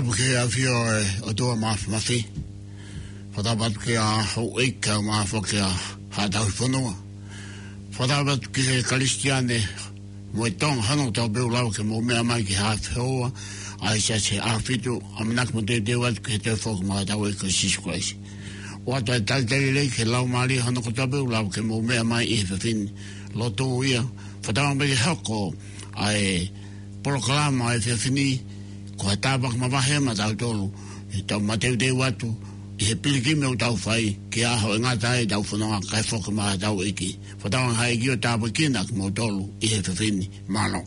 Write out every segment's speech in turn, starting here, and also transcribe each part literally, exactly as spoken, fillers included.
Ke ʻafio e ʻOtua Māfimafi. Fakatapu atu ki he houʻeiki kaeʻumaʻā foki ʻa Haʻa Tauhi Fonua. Fakatapu atu ki he Kalisitiane mo e Tonga hono kotoa pē ʻoku lava ke mou meʻa mai ki he haʻa fehoua ʻa e Siasi ʻAhofitu, ʻamanaki mo teuteu atu ki he toe foki mai ʻa hotau ʻEiki ko Sīsū Kalaisi. ʻOatu e talitali lelei ki he Laumālie hono kotoa pē ʻoku lava ke mou meʻa mai ʻi he efiafi ni. Lotu ia, fakatauange pē ke hoko ʻa e polokalama ʻo e efiafi ni ko ha tāpuaki mavahe maʻatautolu, ʻi heʻetau mateuteu atu ʻi he pilikimi ʻoku tau fai ki he ʻaho ʻe ngata ai ʻetau fononga kae foki mai ʻa hotau ʻEiki. Fakatauange ʻe he ʻEiki ʻo tāpuekina kimoutolu ʻi he efiafi ni. Mālō.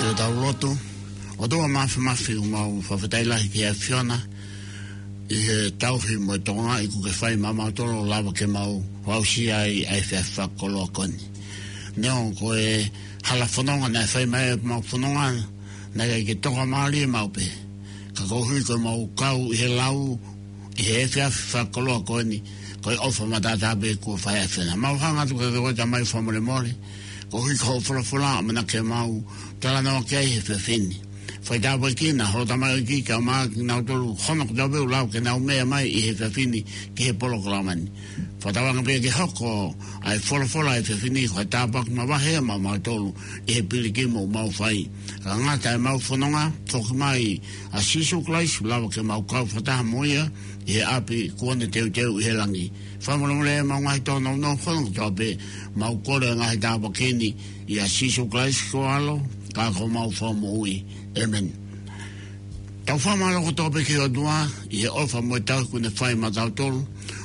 Ke tau lotu. ʻOtua Māfimafi, ʻoku mau fakafetaʻi lahi ki he ʻAfiona, ʻi he tauhi mo e tokangaʻi kuo ke fai maʻamautolu ʻo lava ke mau aʻusia ai ʻa e efiafi fakakoloa ko eni. Neongo ko e hala fononga naʻe fai mai ʻe mau fononga, naʻe ʻikai ke tokamālie maʻu pē. Ka koeʻuhi ko ʻemau kau ʻi he lau, ʻi he efiafi fakakoloa ko eni, ko e ʻofa mataʻataʻa pē kuo fai ʻe he ʻAfiona. Mau hanga atu kiate koe Tamai fakamolemole, koeʻuhi ko hoʻo folofola ʻoku ʻamanaki ke mau talanoa ki ai he efiafi ni. Fai tāpuekina ho tamaioʻeiki kae ʻumaʻā kinautolu hono kotoa pē ʻoku lava ke nau meʻa mai ʻi he efiafi ni ki he polokalama ni. Fakatauange pē ke hoko ʻa e folofola ʻo e efiafi ni ko e tāpuaki mavahe maʻamautolu ʻi he pilikimi ʻoku mau fai. Ka ngata ʻemau fononga, foki mai ʻa Sīsū Kalaisi ʻo lava ke mau kau fakataha mo ia ʻi he ʻapi kuo ne teuteu ʻi he langi. Fakamolemole ʻemau ngaahi tōnounou hono kotoa pē, mau kole ʻa e ngaahi tāpuaki ni ʻia Sīsū Kalaisi ko ho ʻAlo, ka ko homau Fakamoʻui. ʻĒmeni. Tau fakamālō kotoa pē ki he ʻOtua ʻi he ʻofa mo e tauhi kuo ne fai maʻatautolu,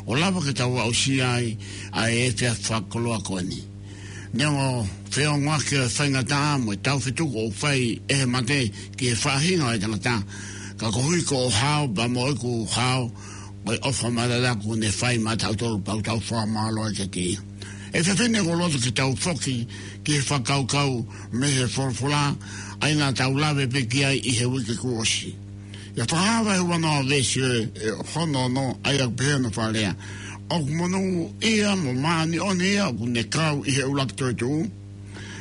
ʻo lava ke tau aʻusia ai ʻa e efiafi fakakoloa ko eni. Neongo feongoʻaki ʻo e faingataʻa mo e taufetuku ʻoku fai ʻe he mate ki he faʻahinga ʻo e tangata, ka koeʻuhi ko ho hao, pea mo ʻeku hao, ko e ʻofa mataʻataʻa kuo ne fai maʻatautolu pea ʻoku tau fakamālō ai kiate ia. ʻE efiafi ni ʻoku ou loto ke tau foki ki he fakakaukau mei he folofola, ʻa ia naʻa tau lave pē ki ai ʻi he uike kuo ʻosi. ʻIa Fakahā vahe uanoa veesi ʻe, ʻe hono ono, ʻa ia ʻoku pehē hono fakalea: ʻOku monūʻia mo māʻoniʻoni ia ʻoku ne kau ʻi he ʻuluaki toetuʻu.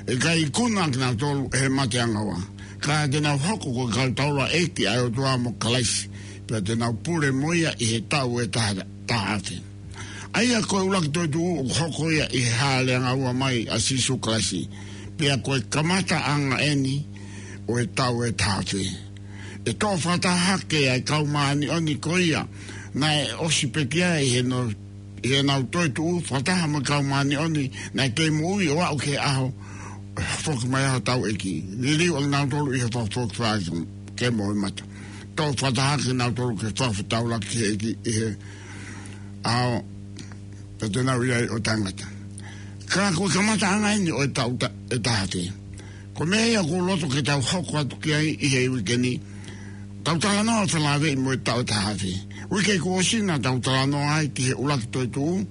ʻE ʻikai ikuna kinautolu ʻe he mate angaua, ka te nau hoko ko e kau taulaʻeiki ʻa e ʻOtua mo Kalaisi, pea te nau pule mo ia ʻi he taʻu ʻe taha, taha afe. ʻA ia ko e ʻuluaki toetuʻu ʻoku hoko ia ʻi he Hāʻele Angaua mai ʻa Sīsū Kalaisi, pea ko e kamataʻanga eni ʻo e taʻu ʻe taha afe. ʻE toʻo fakataha hake ʻa e kau māʻoniʻoni ko ia naʻe ʻosi pekia ʻi heʻenau, ʻi heʻenau toetuʻu, fakataha mo e kau māʻoniʻoni naʻe kei moʻui ʻo aʻu ki he ʻaho foki mai ai hotau ʻEiki. Liliu ʻa kinautolu ʻi he fakafoki fakaʻeiki kemo ʻo e mata. Toʻo fakataha hake kinautolu ke fakafetaulaki ki he ʻEiki ʻi he ʻaho pea te nau ʻi ai ʻo taʻengata. Ka ko e kamataʻanga eni ʻo e taʻu ta-, ʻe taha afe. Ko e meʻa ia ʻoku ou loto ke tau hoko atu ki ai ʻi he uike ni, tau talanoa felāveʻi mo e taʻu ʻe taha afe. Uike kuo ʻosi naʻa tau talanoa ai ki he ʻuluaki toetuʻu,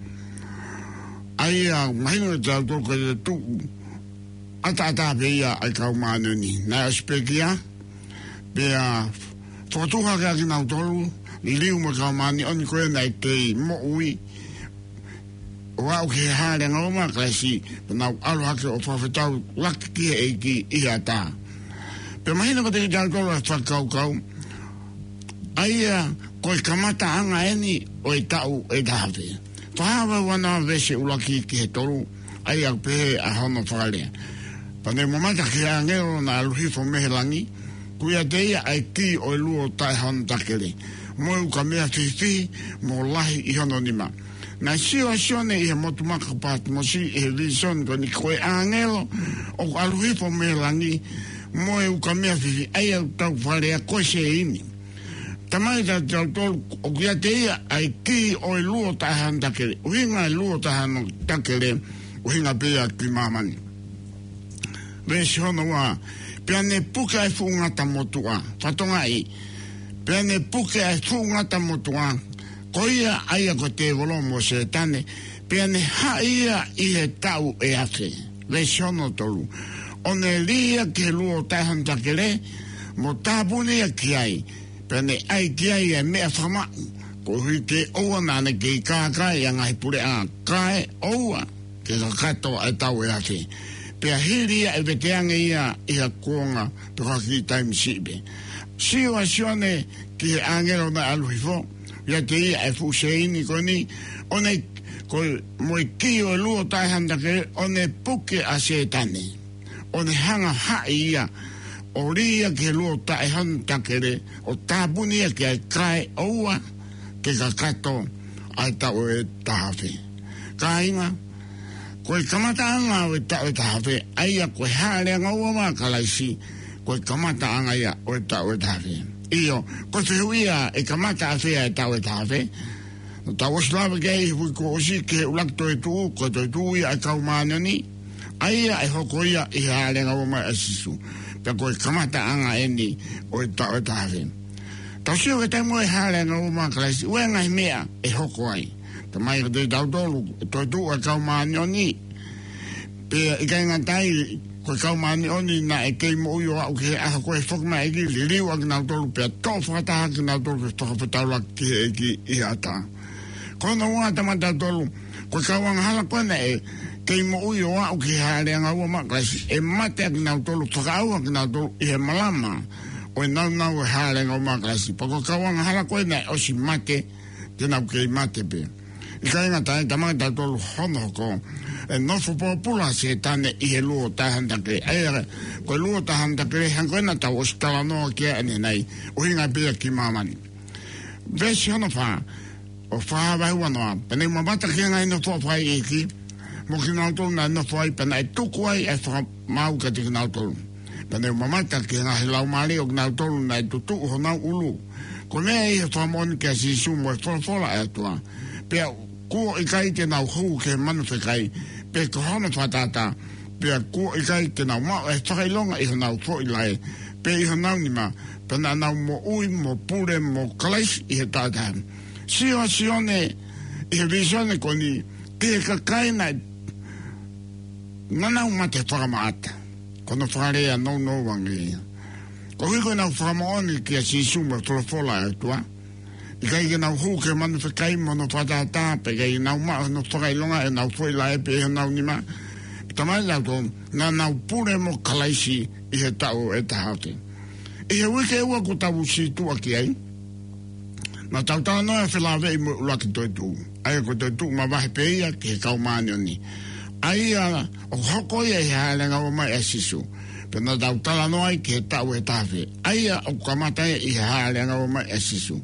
ʻa ia mahino kiate kitautolu ko e tuʻu ʻataʻatā pē ia ʻa e kau māʻoniʻoni naʻe ʻosi pekia, pea fokotuʻu hake ʻa kinautolu, liliu mo e kau māʻoniʻoni ko ia naʻe kei moʻui ʻo aʻu ki he Hāʻele Angaua mai ʻa Kalaisi, pea nau ʻalu hake ʻo fakafetaulaki ki he ʻEiki ʻi he ʻatā. Pea mahino kiate kitautolu ʻa e fakakaukau, ʻa ia ko e kamataʻanga eni ʻo e taʻu ʻe taha afe. Fakahā vahe uanoa veesi ʻuluaki ki he tolu, ʻa ia ʻoku pehē ʻa hono fakalea: Pea ne u mamata ki he ʻāngelo naʻe ʻalu hifo mei he langi, ʻoku ʻiate ia ʻa e kī ʻo e luo taʻe hano takele, mo e ukamea fihifihi mo lahi ʻi hono nima. Naʻe sio ʻa Sione ʻi he motu maka Patimosi ʻi he vīsone ko eni, ko e ʻāngelo ʻoku ʻalu hifo mei he langi, mo e ukamea fihifihi, ʻa ia ʻoku tau fakalea ko e sēini. Talamai kiate kitautolu ʻoku ʻiate ia ʻa e kī ʻo e luo taʻe hano takele. ʻUhinga e luo taʻe hano takele, ʻuhinga pē ia ki māmani. Veesi hono ua: Pea ne puke ʻa e fuʻu ngata motuʻa. Fatongia: Pea ne puke ʻa e fuʻu ngata motuʻa, ko ia ʻa ia ko e tēvolo mo Sētane, pea ne haʻi ia ʻi he taʻu ʻe afe. Veesi hono tolu: ʻO ne lī ia ki he luo taʻe hano takele, mo tāpuni ia ki ai, pea ne ʻai ki ai ʻa e meʻa fakamaʻu, koeʻuhi ke ʻoua naʻa ne kei kākaaʻi ʻa e ngaahi puleʻanga, kae ʻoua ke kakato ʻa e taʻu ʻe afe. Pea hili ia ʻe veteange ia ʻi ha kuonga pe ko ha kiʻi taimi siʻi pē. Sio ʻa Sione ki he ʻāngelo naʻe ʻalu hifo, ʻiate ia ʻa e fuʻu sēini ko eni, ʻo ne, ko e, mo e kī ʻo e luo taʻe hano takele, ʻo ne puke ʻa Sētane, ʻo ne hanga ʻo haʻi ia, ʻo lī ia ki he luo taʻe hano takele, ʻo tāpuni ia ki ai, kae ʻoua ke kakato ʻa e taʻu ʻe taha afe. Kāinga, ko e kamataʻanga ʻo e taʻu ʻe taha afe, ʻa ia ko e Hāʻele Angaua mai ʻa Kalaisi, ko e kamataʻanga ia ʻo e taʻu ʻe taha afe. ʻIo, ko e fehuʻi ia, ʻe kamata ʻafē ʻa e taʻu ʻe taha afe? Naʻa tau ʻosi lave ki ai he uike kuo ʻosi ki he ʻuluaki toetuʻu, ko e toetuʻu ia ʻa e kau māʻoniʻoni, ʻa ia ʻe hoko ia ʻi he Hāʻele Angaua mai ʻa Sīsū. Pea ko e kamataʻanga eni ʻo e taʻu ʻe taha afe. Tau sio ki he taimi ʻo e Hāʻele Angaua Maʻa Kalaisi, ʻoku ʻi ai e ngaahi meʻa ʻe hoko ai. Talamai kiate kitautolu, ʻe toetuʻu ʻa e Kau Māʻoniʻoni. Pea ʻikai ngata ai, ko e Kau Māʻoniʻoni naʻe kei moʻui ʻo aʻu ki he ʻaho ko ē ʻe foki mai e ʻEiki, liliu ʻa kinautolu pea toʻo fakataha kinautolu ke fakafetaulaki ki he ʻEiki ʻi he ʻatā. Ko hono ua, talamai kiate kitautolu, ko e kau angahala ko ē naʻe kei moʻui ʻo aʻu ki he Hāʻele Angaua Maʻa Kalaisi, ʻe mate ʻa kinautolu, fakaʻauha kinautolu ʻi he malama ʻo e nāunau ʻo e Hāʻele Angaua Maʻa Kalaisi. Pea ko e kau angahala ko ē naʻe ʻosi mate, te nau kei mate pē. ʻIkai ngata ai, talamai kiate kitautolu hono hoko, ʻe nofo pōpula ʻa Sētane ʻi he luo taʻehandakelē. ʻA ia, ko e luo taʻehandakelē, hangē ko ē naʻa tau ʻosi talanoa ki ai ʻanenai, ʻuhinga pē ia ki māmani. Veesi hono fā, ʻo fā vahe uanoa: Pea ne u mamata ki he ngaahi nofoʻa fakaʻeiʻeiki, mo kinautolu naʻe nofo ai, pea naʻe tuku ai ʻa e fakamaau kiate kinautolu. Pea ne u mamata ki he ngaahi laumālie ʻo kinautolu naʻe tutuʻu honau ʻulu, ko e meʻa ʻi he fakamoʻoni kia Sīsū mo e folofola ʻa e ʻOtua. Pea kuo ʻikai te nau hū ki he manu fekai, pe ko hono fakatātā, pea kuo ʻikai te nau maʻu ʻa e fakaʻilonga ʻi honau foʻi laʻe, pe ʻi honau nima, pea naʻa nau moʻui mo pule mo Kalaisi ʻi he taʻu ʻe taha. Sio ʻa Sione ʻi he vīsone ko eni ki he kakai naʻe, naʻa nau mate fakamaʻata. Ko hono fakalea nounou ange ia. Koeʻuhi ko ʻenau fakamoʻoni kia Sīsū mo e folofola ʻa e ʻOtua, ʻikai ke nau hū ki he manu fekai mo hono fakatātā, pea ʻikai ke nau maʻu hono fakaʻilonga ʻi honau foʻi laʻe pe ʻi honau nima. Talamai kiate kitautolu, naʻa nau pule mo Kalaisi ʻi he taʻu ʻe taha afe. ʻI he uike ʻe ua kuo tau sītuʻa ki ai, naʻa tau talanoa felāveʻi mo e ʻuluaki toetuʻu, ʻa ia ko e toetuʻu mavahe pē ia ki he Kau Māʻoniʻoni, ʻa ia ʻoku hoko ia ʻi he Hāʻele Angaua Maʻa Sīsū. Pea naʻa tau talanoa ai ki he taʻu ʻe taha afe, ʻa ia ʻoku kamata ia ʻi he Hāʻele Angaua Maʻa Sīsū.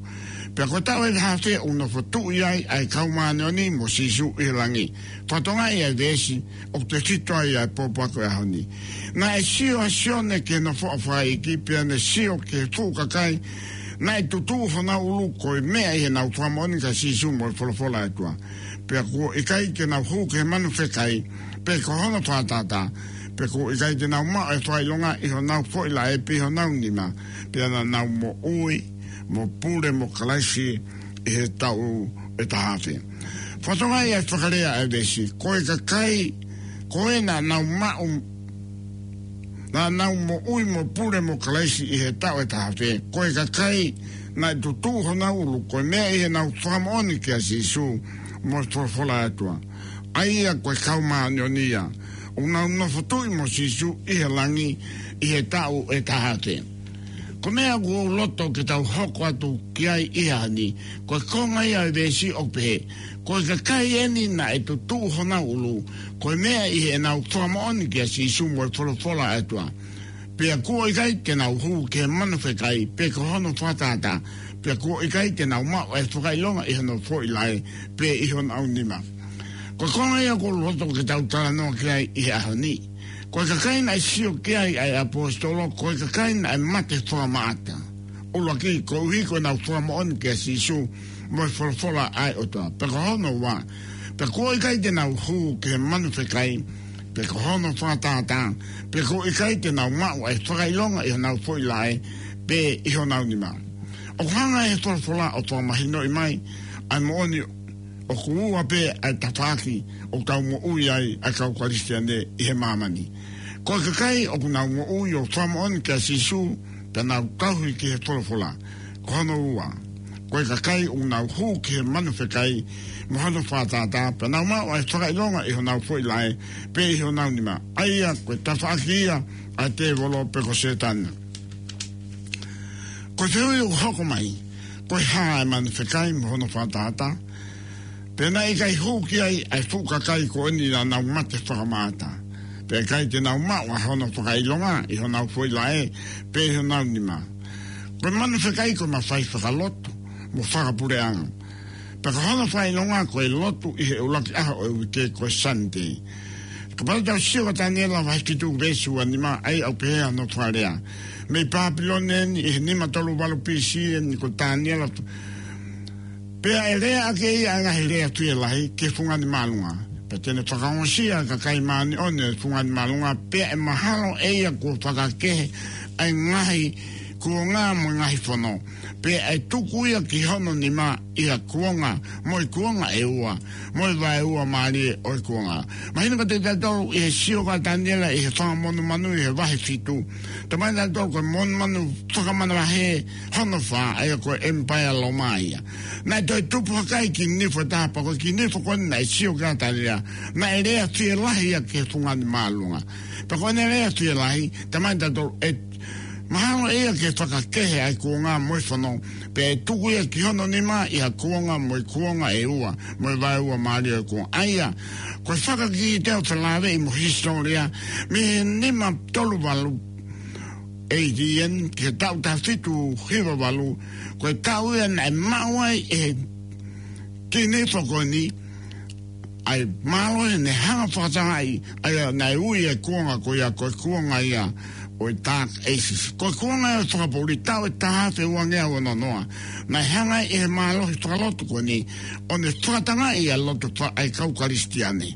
Pea ko e taʻu ʻe taha afe ʻoku nofo tuʻu ai ʻa e Kau Māʻoniʻoni mo Sīsū ʻi he langi. Fakatokangaʻi ʻa e veesi ʻoku tefito ai ʻa e pōpoaki ʻo e ʻaho ni. Naʻe sio ʻa Sione ki he nofoʻa fakaʻeiʻeiki, pea ne sio ki he fuʻu kakai naʻe tutuʻu honau ʻulu, ko e meʻa ʻi heʻenau fakamoʻoni kia Sīsū mo e folofola ʻa e ʻOtua. Pea kuo ʻikai te nau hū ki he manu fekai, pe ko hono fakatātā, pea kuo ʻikai te nau maʻu ʻa e fakaʻilonga ʻi honau foʻi laʻe pe ʻi honau nima, pea naʻa nau moʻui mo pule mo Kalaisi ʻi he taʻu ʻe taha afe. Fakatokangaʻi ʻa e fakalea ʻa e veesi, ko e kakai ko ē naʻa nau maʻu, naʻa nau moʻui mo pule mo Kalaisi ʻi he taʻu ʻe taha afe, ko e kakai naʻe tutuʻu honau ʻulu, ko e meʻa ʻi heʻenau fakamoʻoni kia Sīsū mo e folofola ʻa e ʻOtua. ʻA ia ko e Kau Māʻoniʻoni ia ʻoku nau nofo tuʻu mo Sīsū ʻi he langi ʻi he taʻu ʻe taha afe. Ko e meʻa ʻoku ou loto ke tau hoko atu ki ai ʻi he ʻaho ni, ko e konga ia ʻo e veesi ʻoku pehē, ko e kakai eni naʻe tutuʻu honau ʻulu, ko e meʻa ʻi heʻenau fakamoʻoni kia Sīsū mo e folofola ʻa e ʻOtua. Pea kuo ʻikai te nau hū ki he manu fekai, pe ko hono fakatātā, pea kuo ʻikai te nau maʻu ʻa e fakaʻilonga ʻi hono foʻi laʻe, pe ʻi honau nima. Ko e konga ia ʻoku ou loto ke tau talanoa ki ai ʻi he ʻaho ni. Ko e kakai naʻe sio ki ai ʻa e ʻaposetolo, ko e kakai naʻe mate fakamaʻata. ʻUluaki, koeʻuhi ko ʻenau fakamoʻoni kia Sīsū mo e folofola ʻa e ʻOtua. Pea ko hono ua, pea kuo ʻikai te nau hū ki he manu fekai, pe ko hono fakatātā, pea kuo ʻikai te nau maʻu ʻa e fakaʻilonga ʻi honau foʻi laʻe, pe ʻi honau nima. ʻOku hanga ʻe he folofola ʻo fakamahinoʻi mai ʻa e moʻoni ʻoku ua pē ʻa e tafaʻaki ʻoku tau moʻui ai ʻa e kau Kalisitiane ʻi he māmani. Ko e kakai ʻoku nau moʻui ʻo fakamoʻoni kia Sīsū, pea nau tauhi ki he folofola. Ko hono ua, ko e kakai ʻoku nau hū ki he manu fekai mo hono fakatātā, pea nau maʻu ʻa e fakaʻilonga ʻi honau foʻi laʻe, pe ʻi honau nima. ʻA ia ko e tafaʻaki ia ʻa e tēvolo pe ko Sētane. Ko e fehuʻi ʻoku hoko mai, ko e hā ʻa e manu fekai mo hono fakatātā? Pea naʻe ʻikai hū ki ai ʻa e fuʻu kakai ko eni naʻa nau mate fakamaʻata, pea ʻikai te nau maʻu ʻa hono fakaʻilonga ʻi honau foʻi laʻe, pe ʻi honau nima. Ko e manu fekai ko e mafai fakalotu mo fakapuleʻanga. Pea ko hono fakaʻilonga ko e lotu ʻi he ʻuluaki ʻaho ʻo e uike, ko e Sunday. Kapau te tau sio kia Taniela vahe fitu veesi ua nima, ʻa ia ʻoku pehē hono fakalea. Mei Pāpilone eni ʻi he nima tolu valu B C eni ko Taniela. Pea ʻe lea ʻaki ʻe ia ʻa e ngaahi lea fielahi ki he fungani māʻolunga. Pea te ne fakaongosia ʻa e kakai māʻoniʻoni ʻo e fungani māʻolunga, pea ʻe mahalo ʻe ia kuo fakakehe ʻa e ngaahi kuonga mo e ngaahi fono, pea ʻe tuku ia ki hono nima ʻi ha kuonga, mo e kuonga ʻe ua, mo e vaeua mālie ʻo e kuonga. Mahino kiate kitautolu ʻi he sio ʻa Taniela ʻi he fanga monumanu ʻi he vahe fitu, talamai kiate kitautolu ko e monumanu fakamanavahē hono fā, ʻa ia ko e ʻemipaea Loma ia. Naʻe toe tupu hake ai e kiʻi nifo ʻe taha, pea ko e kiʻi nifo ko eni naʻe sio ki ai ʻa Taniela, naʻe lea fielahi ia ki he fungani māʻolunga. Pea ko ʻene lea fielahi, talamai kiate kitautolu ʻe mahalo ʻe ia ke fakakehe ʻa e kuonga mo e fono, pea ʻe tuku ia ki hono nima ʻi ha kuonga mo e kuonga ʻe ua, mo e vaeua mālie ʻo e kuonga. ʻA ia, ko e fakakite ʻo felāveʻi mo e hisitōlia, mei he nima tolu valu A D ʻeni ki he taʻu taha fitu hiva valu, ko e taʻu ia naʻe maʻu ai ʻe he kiʻi nifo ko eni ʻa e mālohi naʻe hanga ʻo fakatangaʻi, ʻa ia naʻe ui e kuonga ko ia, ko e kuonga ia ʻo e Dark Ages. Ko e kuonga ia ʻo e fakapoʻuli, taʻu ʻe taha afe ua ngeau ono noa. Naʻe hanga ʻe he mālohi fakalotu ko eni ʻo ne fakatangaʻi ʻa e loto fa-, ʻa e kau Kalisitiane.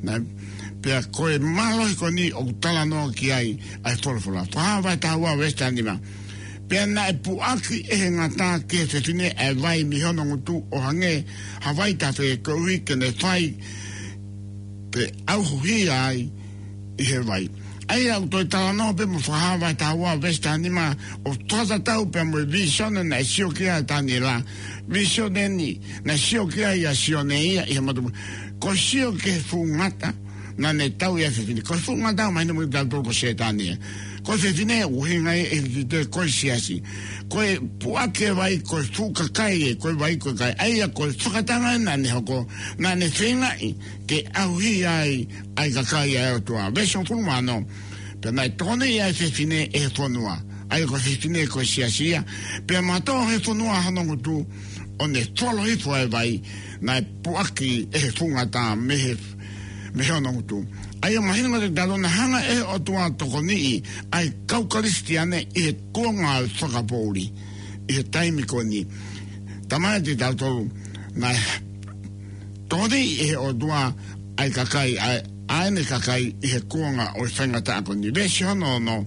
Naʻe, pea ko e mālohi ko eni ʻoku talanoa ki ai ʻa e folofola. Fakahā vahe taha ua veesi taha nima. Pea naʻe puʻaki ʻe he ngata ki he fefine ʻa e vai mei hono ngutu ʻo hangē ha vai tafe, koeʻuhi ke ne fai pe ʻauhia ai ʻi he vai. ʻA ia ʻoku toe talanoa pē mo Fakahā vahe taha ua veesi taha nima ʻo fakatatau pē mo e vīsone naʻe sio ki ai ʻa Taniela. Vīsone ʻeni naʻe sio ki ai ʻa Sione ia ʻi he motu. Ko e sio ki he fuʻu ngata naʻa ne tauʻi ai e fefine. Ko e fuʻu ngata, mahino kiate kitautolu ko Sētane ia. Ko e fefine ʻoku ʻuhinga ia ʻi he kiʻi tēpile ko e siasi. Ko e puʻaki e vai, ko e fuʻu kakai ē, ko e vai ko e kakai. ʻA ia ko e fakatangaʻi naʻa ne hoko, naʻa ne feingaʻi ke ʻauhia ai ʻa e kakai ʻa e ʻOtua. Veesi hongofulu mā ono. Pea naʻe tokoniʻi ʻa e fefine ʻe he fonua, ʻa ia ko e fefine ko e siasi ia, pea mātō he fonua hono ngutu, ʻo ne folo hifo ʻa e vai naʻe puʻaki ʻe he fuʻu ngata mei he, mei hono ngutu. ʻA ia mahino kiate kitautolu naʻe hanga ʻe he ʻOtua ʻo tokoniʻi ʻa e kau Kalisitiane ʻi he kuonga ʻo e fakapoʻuli ʻi he taimi ko eni. Talamai kiate kitautolu naʻe tokoniʻi ʻe he ʻOtua ʻa e kakai, ʻa e, ʻa ʻene kakai ʻi he kuonga ʻo e faingataʻa ko eni. Veesi hono ono,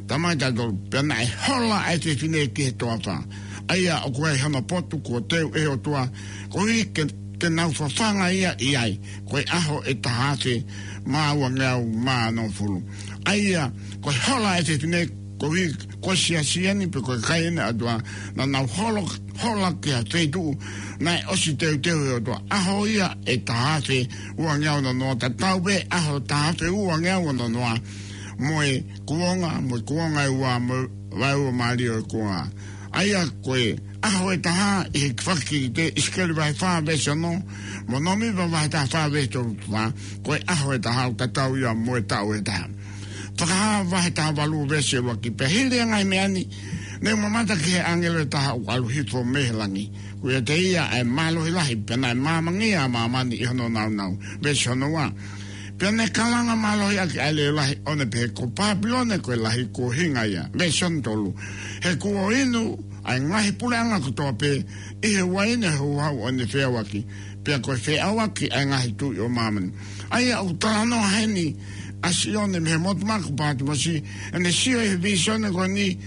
talamai kiate kitautolu, pea naʻe hola ʻa e fefine ki he toafa, ʻa ia ʻoku ʻi ai hono potu kuo teu ʻe he ʻOtua, koeʻuhi ke, ke nau fafanga ia ʻi ai, ko e ʻaho ʻe taha afe mā ua ngeau mā ono fulu. ʻA ia, ko e hola ʻa e fefine, koeʻuhi ko e siasi ʻeni pe ko e kakai ʻeni ʻa e ʻOtua, naʻa nau holo, hola ki ha feituʻu naʻe ʻosi teuteu ʻe he ʻOtua. ʻAho ia ʻe taha afe ua ngeau ono noa, tatau pē ʻaho taha afe ua ngeau ono noa mo e kuonga, mo e kuonga ʻe ua, mo e vaeua mālie ʻo e kuonga. ʻA ia ko e ʻaho ʻe taha ʻi he fakakikite, ʻIsikeli vahe fā veesi ono, mo Nōmipa vahe taha fā veesi tolu fā, ko e ʻaho ʻe taha ʻoku tatau ia mo e taʻu ʻe taha. Fakahā vahe taha valu veesi ʻuluaki, pea hili ʻa e ngaahi meʻa ni, ne u mamata ki he ʻāngelo ʻe taha ʻoku ʻalu hifo mei he langi. Ko ia ʻiate ia ʻa e mālohi lahi, pea naʻe māmangia ʻa māmani ʻi hono nāunau. Veesi hono ua. Pea ne kalanga mālohi ʻaki ʻa e leʻo lahi, ʻo ne pehē, ko Pāpilone ko e lahi, kuo hinga ia. Veesi hono tolu. He kuo inu ʻa e ngaahi puleʻanga kotoa pē ʻi he uaine houhau ʻo ʻene feʻauaki, pea ko e feʻauaki ʻa e ngaahi tuʻi ʻo māmani. ʻA ia ʻoku talanoa heni ʻa Sione mei he motu maka ko Pātimosi, ʻene sio ʻi he vīsone ko eni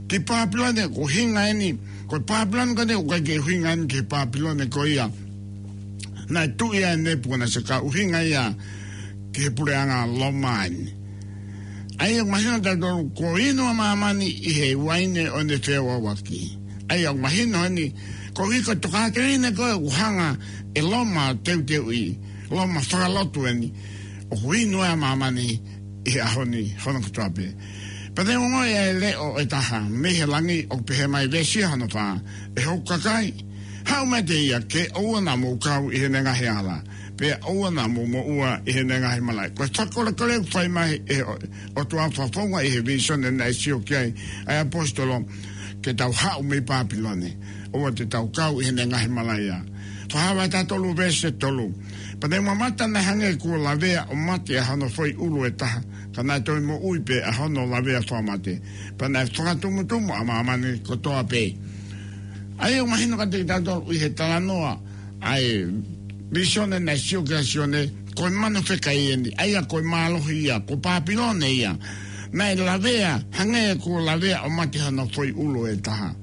ki Pāpilone ʻoku hinga ʻeni. Ko Pāpilone ko eni ʻoku ʻikai ke ʻuhinga ʻeni ki he Pāpilone ko ia naʻe tuʻi ai ʻe Nepukanesa, ka ʻuhinga ia ki he puleʻanga Loma ʻeni. ʻA ia ʻoku mahino kiate kitautolu kuo inu ʻa māmani ʻi he uaine ʻo ʻene feʻauaki. ʻA ia ʻoku mahino ʻeni, koeʻuhi ko e tokāteline ko ē ʻoku hanga ʻe Loma ʻo teuteuʻi, Loma fakalotu ʻeni, ʻoku inu ʻa māmani ʻi he ʻaho ni hono kotoa pē. Pea ne u ongoʻi ʻa e leʻo ʻe taha mei he langi ʻoku pehē mai, veesi hono fā, ʻE hoku kakai, haʻu meiate ia, ke ʻoua naʻa mou kau ʻi heʻene ngaahi ala, pea ʻoua naʻa mou moʻua ʻi heʻene ngaahi malaʻe. Ko e fakalelei ʻoku fai mai ʻe he ʻOtua fakafofonga ʻi he vīsone naʻe sio ki ai ʻa e ʻaposetolo, ke tau haʻu mei Pāpilone, ʻoua te tau kau ʻi heʻene ngaahi malaʻe ia. Fakahā vahe taha tolu veesi tolu. Pea ne u mamata, naʻe hangē kuo lavea ʻo mate ʻa hono foʻi ʻulu ʻe taha, ka naʻe toe moʻui pē ʻa hono lavea fakamate, pea naʻe fakatumutumu ʻa māmani kotoa pē. ʻA ia ʻoku mahino kiate kitautolu ʻi he talanoa ʻa e vīsone naʻe sio ki ai ʻa Sione, ko e manu fekai ʻeni, ʻa ia ko e mālohi ia, ko Pāpilone ia. Naʻe lavea, hangē ko e lavea ʻo mate hano foʻi ʻulu ʻe taha.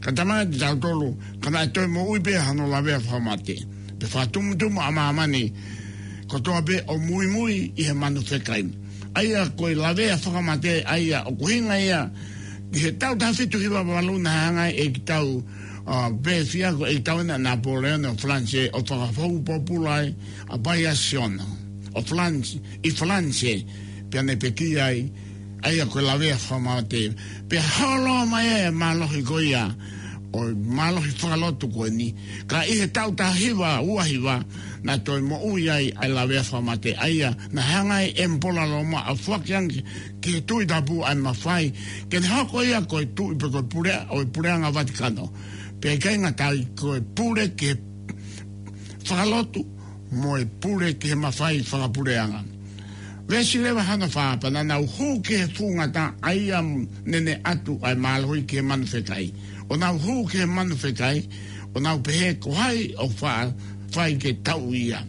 Ka talamai kiate kitautolu, ka naʻe toe moʻui pē hano lavea fakamate. Pea fakatumutumu ʻa māmani kotoa pē ʻo muimui ʻi he manu fekai. ʻA ia ko e lavea fakamate, ʻa ia ʻoku ʻuhinga ia ki he taʻu taha fitu hiva valu naʻe hanga ʻe kitautolu, ʻa, pē fia ko e ʻEiki Tauena Napoleone ʻo Falanse ʻo fakafou pōpula ai ʻa Bayasiona ʻo Falanse, ʻi Falanse, pea ne pekia ai, ʻa ia ko e lavea fakamate. Pea holo mai e mālohi ko ia, ʻo e mālohi fakalotu ko eni. Ka ʻi he taʻu taha hiva ua hiva, naʻe toe moʻui ai ʻa e lavea fakamate. ʻA ia, naʻe hanga ʻe he ʻEmipola Loma ʻo foaki ange ki he Tuʻi Tapu ʻa e mafai ke ne hoko ia ko e tuʻi pe ko e pule, ʻo e Puleʻanga Vatikano. Pea ʻikai ngata ai, ko e pule ki he fakalotu mo e pule ki he mafai fakapuleʻanga. Veesi leva hono fā: Pea naʻa nau hū ki he fuʻu ngata, ʻa ia naʻe ʻatu ʻa e mālohi ki he manu fekai. ʻO nau hū ki he manu fekai, ʻo nau pehē, Ko hai ʻoku fa-, fai ke tauʻi ia?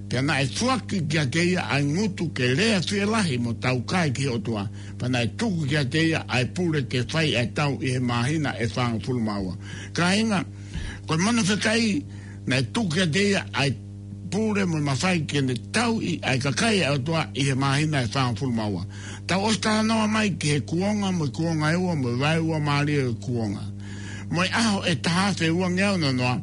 Pea naʻe foaki kiate ia ʻa e ngutu ke lea fielahi mo taukae ki he ʻOtua. Pea naʻe tuku kiate ia ʻa e pule ke fai ʻa e tau ʻi he māhina ʻe fāngofulu mā ua. Kāinga, ko e manu fekai, naʻe tuku kiate ia ʻa e pule mo e mafai ke ne tauʻi ʻa e kakai ʻa e ʻOtua ʻi he māhina ʻe fāngofulu mā ua. Tau ʻosi talanoa mai ki he kuonga mo e kuonga ʻe ua mo e vaeua mālie ʻo e kuonga. Mo e ʻaho ʻe taha afe uangeau noa noa,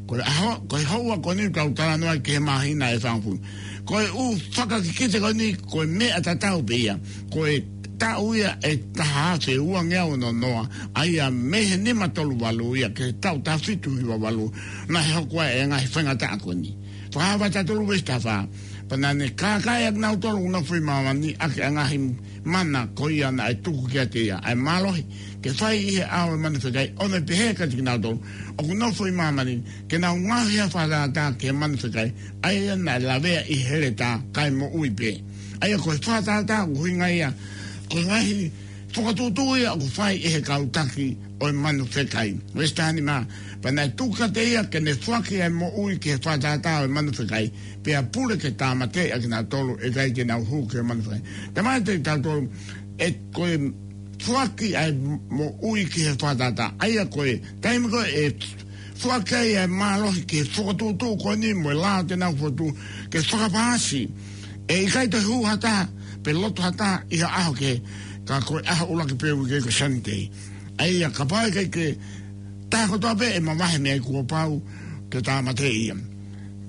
ko e ʻaho, ko e houa ko eni ʻoku tau talanoa ki he māhina ʻe fāngofulu. Ko e ʻū fakakikite ko eni, ko e meʻa tatau pē ia. Ko e taʻu ia ʻe taha afe uangeau noa noa, ʻa ia mei he nima tolu valu ia ki he taʻu taha fitu hiva valu, naʻe hoko ai e ngaahi faingataʻa ko eni. Fakahā vahe taha tolu veesi taha fā: Pea naʻa ne kākaaʻi ʻa kinautolu ʻoku nofo ʻi māmani ʻaki ʻa e ngaahi mana ko ia naʻe tuku kiate ia, ʻa e mālohi ke fai ʻi he ʻao ʻo e manu fekai, ʻo ne pehē kiate kinautolu ʻoku nofo ʻi māmani, ke nau ngaohi ha fakatātā ki he manu fekai, ʻa ia naʻe lavea ʻi he heletā kae moʻui pē. ʻA ia ko e fakatātā ʻoku ʻuhinga ia ko e ngaahi fokotuʻutuʻu ia ʻoku fai ʻe he kau taki ʻo e manu fekai. Veesi taha nima: Pea naʻe tuku kiate ia ke ne foaki ʻa e moʻui ki he fakatātā ʻo e manu fekai, pea pule ke tāmateʻi ʻa kinautolu ʻe ʻikai ke nau hū ki he manu fekai. Talamai kiate kitautolu, ʻe ko e foaki ʻa e moʻui ki he fakatātā, ʻa ia ko e taimi ko ē ʻe foaki ai ʻa e mālohi ki he fokotuʻutuʻu ko eni mo e lao te nau fokotuʻu ke fakapaasi. ʻE ʻikai toe hū ha taha pe lotu ha taha ʻi ha ʻaho kehe, ka ko e ʻaho ʻuluaki pē ʻo e uike ko e Sunday. ʻA ia kapau ʻe ʻikai ke taha kotoa pē ʻe mavahe mei ai, kuo pau ke tāmateʻi ia.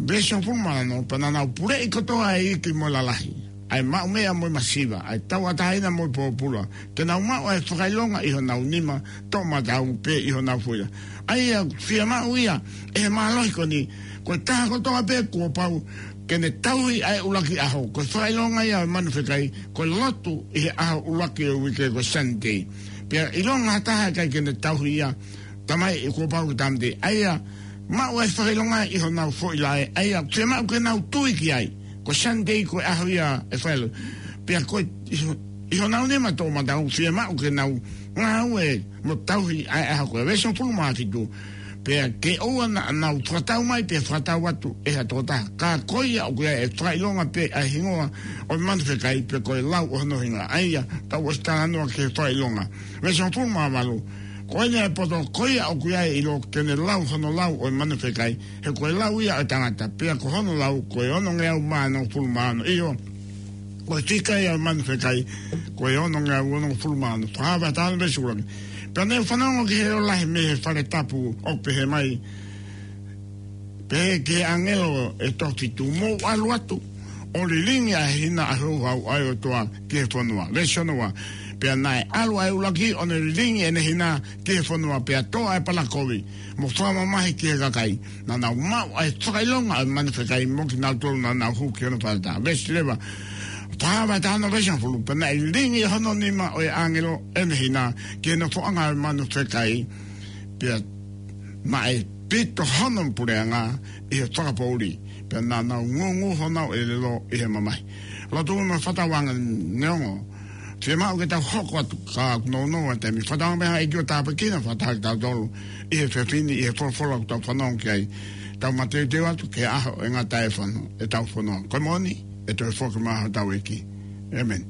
Veesi hongofulu mā ono: Pea naʻa nau puleʻi kotoa ʻa e iiki mo e lalahi, ʻa e maʻumeʻa mo e masiva, ʻa e tauʻatāina mo e pōpula, ke nau maʻu ʻa e fakaʻilonga ʻi honau nima toʻomataʻu pea ʻi honau foʻi laʻā. ʻA ia fiemaʻu ia ʻe he mālohi ko eni, ko e taha kotoa pē kuo pau ke ne tauhi ʻa e ʻuluaki ʻaho, ko e fakaʻilonga ia ʻo e manu fekai, ko e lotu ʻi he ʻaho ʻuluaki ʻo e uike ko e Sunday. Pea ʻilonga ha taha ʻe ʻikai ke ne tauhi ia, talamai ʻe kuo pau ke tāmateʻi. ʻA ia maʻu ʻa e fakaʻilonga ʻi honau foʻi laʻā, ʻa ia fiemaʻu ke nau tui ki ai. Ko e Sunday ko e ʻaho ia ʻe fai ai e lotu. Pea ko e ʻi ho-, ʻi honau nima toʻomataʻu fiemaʻu ke nau ngāue mo tauhi ʻa e ʻaho ko ē. Veesi hongofulu mā fitu: Pea ke ʻoua naʻa nau fakatau mai pea fakatau atu ʻe ha tokotaha, ka ko ia ʻoku ʻi ai ʻe fakaʻilonga pē ʻa e hingoa ʻo e manu fekai, pea ko e lau ʻo hono hingoa. ʻA ia tau ʻosi talanoa ki he fakaʻilonga. Veesi hongofulu mā valu: Ko eni ʻa e poto, ko ia ʻoku ʻi ai e ʻilo ke ne lau hono lau ʻo e manu fekai, he ko e lau ia ʻo e tangata, pea ko hono lau ko e onongeau mā nofulu mā ono. ʻIo, ko e fika ia ʻo e manu fekai ko e onongeau nofulu mā ono. Fakahā vahe taha ono veesi ʻuluaki: Pea naʻa ku fanongo ki he leʻo lahi mei he fale tapu ʻo pehē mai, pehē ki he ʻāngelo ʻe toko fitu: Mou ʻalu atu ʻo lilingi ʻa e hina ʻo e houhau ʻa e ʻOtua ki he fonua. Veesi ono ua: Pea naʻe ʻalu ʻa e ʻuluaki ʻo ne lilingi ʻene hina ki he fonua, pea tō ʻa e palakovi mo fakamamahi ki he kakai. Naʻa nau maʻu ʻa e fakaʻilonga ʻo e manu fekai mo kinautolu naʻa nau hū ki hono fakatātā. Veesi leva, fakahā vahe taha ono veesi hongofulu: Pea naʻe lilingi ʻe hono nima ʻo e ʻāngelo ʻene hina ki he nofoʻanga ʻo e manu fekai, pea naʻe pito hono puleʻanga ʻi he fakapoʻuli, pea naʻa nau ngūngū honau ʻelelo ʻi he mamahi. Lotu mo e fakatauange neongo fiemaʻu ke tau hoko atu, ka ʻoku nounou ʻa e taimi. Fakatauange pē ʻe he ʻEiki ʻo tāpuekina fakataha kitautolu ʻi he efiafi ni ʻi he folofola ʻoku tau fanongo ki ai. Tau mateuteu atu ki he ʻaho ʻe ngata ai e fano-, ʻetau fononga. Ko e moʻoni, ʻe toe foki mai hotau ʻEiki. ʻĒmeni.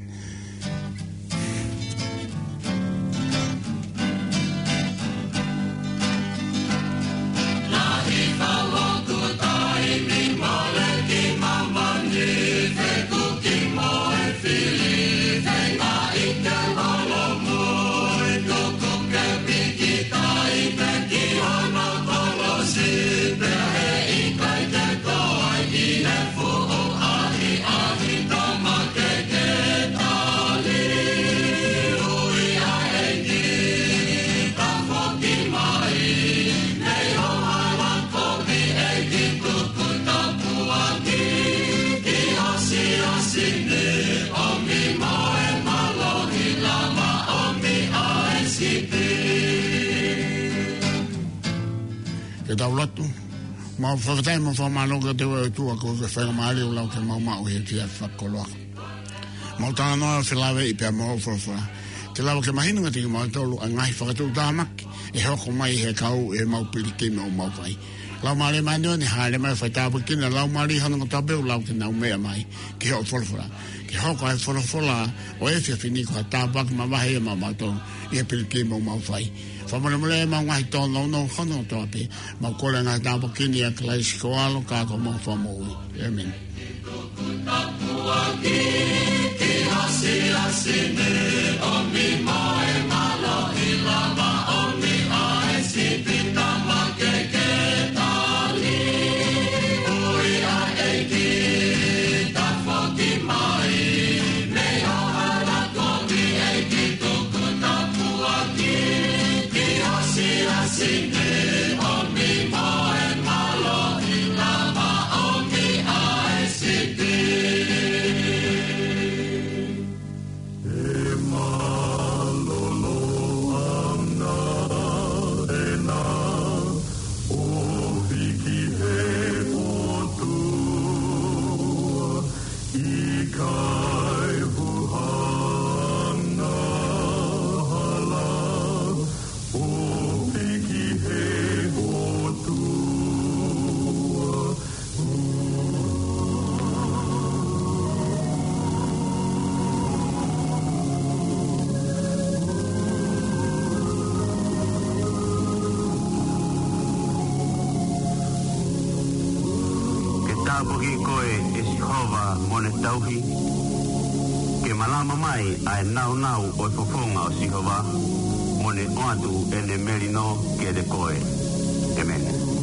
Tau lotu. Mau fakafetaʻi mo fakamālō kiate koe ʻOtua koeʻuhi ko e faingamālie ʻoku lau ke mau maʻu he efiafi fakakoloa. Mau talanoa felāveʻi pea mo hoʻo folofola. Ke lava ke mahino kiate kimautolu ʻa e ngaahi fakatuʻutāmaki ʻe hoko mai he kau ʻi heʻemau pilikimi ʻoku mau fai. Laumālie Māʻoniʻoni, hāʻele mai ʻo fai tāpuekina ʻa e laumālie hono kotoa pē ʻoku lau ke nau meʻa mai ki hoʻo folofola. Ke hoko ʻa e folofola ʻo e efiafi ni ko ha tāpuaki mavahe ia maʻamautolu ʻi he pilikimi ʻoku mau fai. Fakamolemole ʻemau ngaahi tōnounou hono kotoa pē. Mau kole ʻa e ngaahi tāpuaki ni ʻia Kalaisi ko ho ʻAlo ka ko homau Fakamoʻui. ʻĒmeni. Ke tāpuakiʻi koe ʻe Sihova mo ne tauhi. Ke malama mai ʻa e nāunau ʻo e fofonga ʻo Sihova, mo ne ʻoatu ʻene melino kiate koe. ʻĒmeni.